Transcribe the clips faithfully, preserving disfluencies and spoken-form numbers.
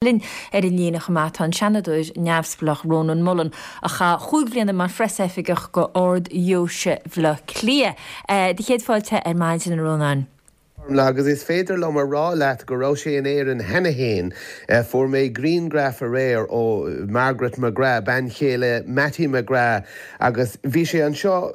Linn ar an líne chomh maith tá an Seanadóir neamhspleách Rónán Mullen a chaith cúig bliana mar phreasoifigeach go Ard-Dheoise Bhaile Átha Cliath. Do chéad fáilte ar maidin a Rónáin. Agus is féidir liom a rá leat go raibh sé in Éirinn cheana féin fuair mé grianghraf aréir ó Margaret McGrath, bean chéile Mattie McGrath, agus bhí sé anseo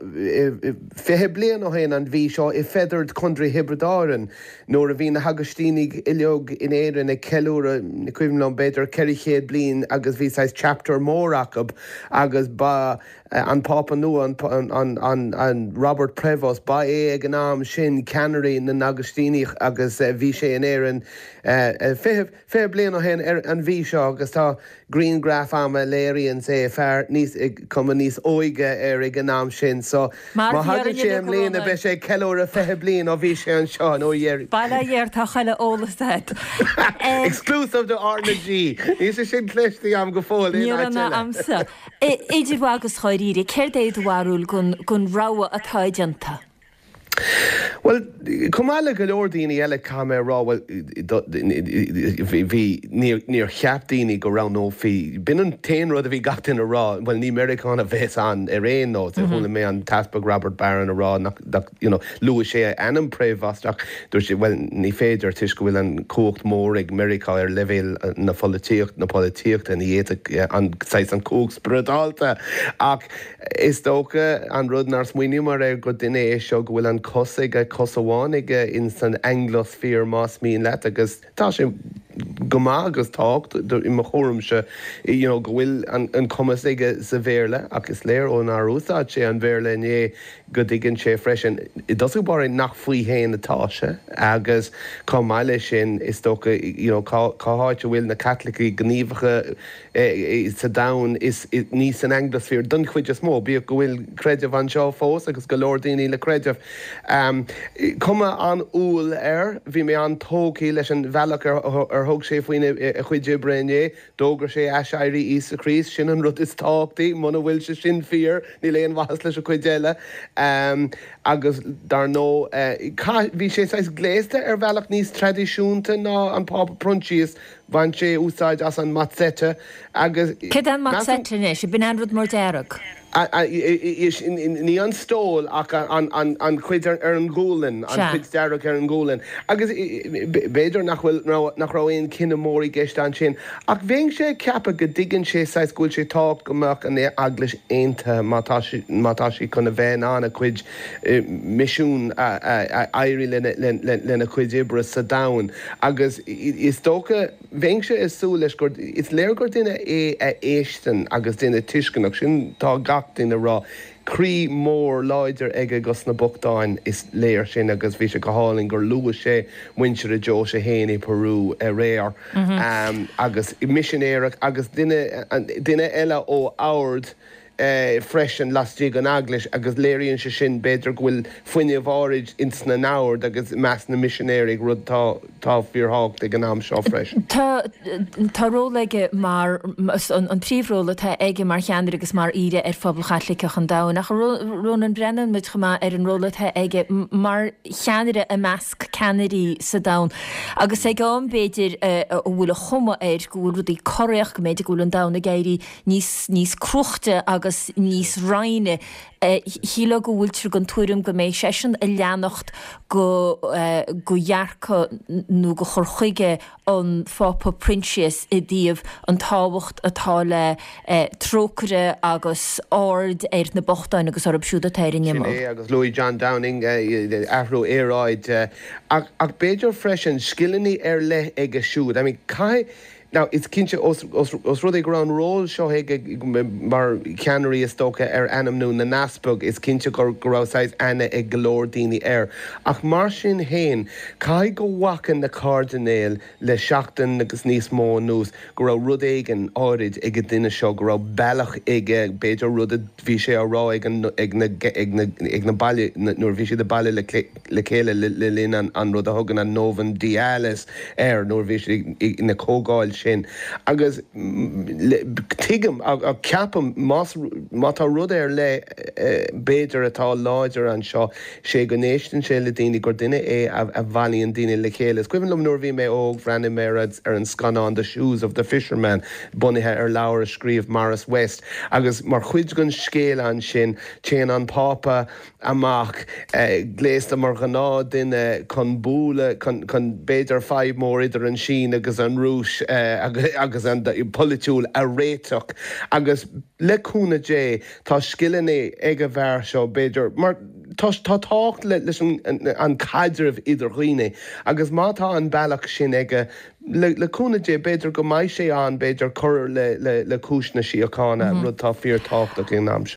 fiche bliain ó shin an mhí seo i Fethard Contae Thiobraid Árann. Nuair a bhí na hAgaistínigh uilig in Éirinn ag ceiliúradh ní cuimhin liom b'fhéidir ceithre chéad bliain agus bhí saghas chapter mór acu agus ba an Pápa nua an, an, an, an Robert Prevost ba é ag an am sin ceannaire na nAgaistíneach agus bhí sé in Éirinn fiche fiche bliain ó shin ar an mhí seo agus tá grianghraf agam a léiríonn é fear níos cuma níos óige air ag an am sin so má thagann sé i mbliana beidh sé ceiliúradh fiche bliain ó bhí sé anseo nó dhéir. Bail ó Dhia ort tá chuile eolas agat. Exclusive do R na G. Níl sé sin cloiste agam go fóill aon áit eile. Agamsa. Idir mhaith agus dháiríre, céard é do bharúil den rogha atá déanta? Well, chomh maith le go leor daoine eile caithfidh mé a rá well bhí níor cheap daoine go roghnófaí b'in an t-aon rud a bhí gach duine a rá, well ní Meiriceánach a bheas ann ar aon nós. Chuala mé an tEaspag Robert Barron a rá nach you know, luaigh sé a ainm Prevost ach dúirt sé well ní féidir toisc go bhfuil an cumhacht mór ag Meiriceá ar leibhéal na pholaitíocht na polaitíochta ní fhéadfadh an saghas an cumhacht spioradálta ach is dócha an rud nár smaoiníomar air gur duine é seo go bhfuil an cos aige cos amháin aige in san Anglosphere más mian leat agus tá sé go maith agus tácht i mo thuairimse you know, go bhfuil an, an cumas aige sa Bhéarla ach is léir ó nár úsáid sé an Bhéarla inné go dtuigeann sé freisin i dtosach báire nach faoi féin atá sé agus chomh maith leis sin is dócha you know, cá cá háit a bhfuil na Caitlicigh gníomhacha eh, sa domhan is ní san Anglosphere don chuid is mó bíodh go bhfuil creideamh anseo fós agus go leor daoine le creideamh. Um, cuma an-umhal air, bhí mé an-tógtha leis an bhealach ar, ar thug sé faoina a chuid oibre inné, d'fhógair sé aiséirí Íosa Críost sin an rud is tábhachtaí, muna bhfuil sé sin fíor, níl aon mhaitheas leis an chuid eile. Um, agus dar ndóigh uh, bhí sé saghas gléasta ar bhealach níos traidisiúnta ná an Pápa Proinsias, bhain sé úsáid as an mozzetta agus Céard an mozzetta anois, b'in an rud mór dearg. Ní an stól ach an, an, an chuid ar, ar an ghualainn, an chuid dearg ar an ghualainn. Agus b'fhéidir nach bhfuil nach raibh aon cinneadh mór i gceist ansin. Ach bheinn sé ceapadh go dtuigeann sé saghas go bhfuil sé tábhachtach go mbeadh an eaglais aontaithe má tá sí má tá sí chun a bheith in ann a cuid misiún a éirí lena, lena, lena cuid oibre sa domhan. Agus is dócha bheinn sé ag súil leis gur is léir gur duine é a éisteann agus duine tuisceanach sin tá gach duine rá. Croí mór láidir aige dos na bochtáin is léir sin agus bhí sé go hálainn gur luaigh sé muintir a deoise féin i Peru aréir mm -hmm. um, agus misinéireach agus duine duine eile ó Ard eh, freisin laistigh den eaglais agus léiríonn sé sin b'fhéidir go bhfuil fuinneamh áirid ins na n-ord agus meas na misinéirí rud tá tá fíorthábhachtach ag an am seo freisin. Tá tá ról aige mar an, an príomhról atá aige mar cheannaire agus mar aoire ar phobal Chaitliceach an domhain ach Rónán breathnaíonn muid chomh maith ar an ról atá aige mar cheannaire i measc ceannairí sa domhan. Agus ag am b'fhéidir a bhfuil an chuma air go bhfuil rudaí corraithe go mb'fhéidir go bhfuil an domhan ag éirí níos níos cruaite agus níos roinnte. Shílfeá go bhfuiltear den tuairim go mbeidh seisean ag leanacht go go dhearcadh nó go chur chuige an Phápa Proinsias i dtaobh an tábhacht atá le trócaire agus aird ar na bochtáin agus orthu siúd atá ar an Sin imeall. é agus luaigh John Downing athrú aeráide ach ach b'fhéidir freisin scileanna ar leith aige siúd. I mean, caithfidh Now, is cinnte os, os, os rud é go raibh an ról seo aige mar cheannaire is dócha ar ainmniú na n-easpag, is cinnte gur go raibh saghas aithne ag go leor daoine air. Ach mar sin féin, caithfidh go bhfaca na cairdinéil le seachtain agus níos mó anuas go raibh rud éigin áirid ag an duine seo, go raibh bealach aige, b'fhéidir rud a bhí sé á rá ag an, ag na, ag na, ag na baile nuair a bhí siad ag baile le, le chéile le, le linn an, an rud a thugann an Novemdiales air nuair a bhí siad ina comhdháil sin agus tuigim ceapaim má tá rud ar leith b'fhéidir atá láidir anseo sé go n-éisteann sé le daoine gur duine é a bhailíonn daoine le chéile. Is cuimhin liom nuair a bhí mé óg bhreathnaigh mé ar an scannán The Shoes of the Fisherman bunaithe ar leabhar a scríobh Maurice West agus mar chuid den scéal ansin téann an Pápa amach gléasta mar ghnáthduine chun bualadh chun b'fhéidir fadhb mór idir an Sín agus an Rúis agus an polaitiúil a réiteach agus le cúnamh Dé tá scileanna ag an bhfear seo b'fhéidir mar tá tábhacht leis an caidreamh idir dhaoine agus má tá an bealach sin aige le cúnamh Dé b'fhéidir go mbeidh sé an b'fhéidir cur le le le cúis na síochána rud atá fíorthábhachtach in am seo.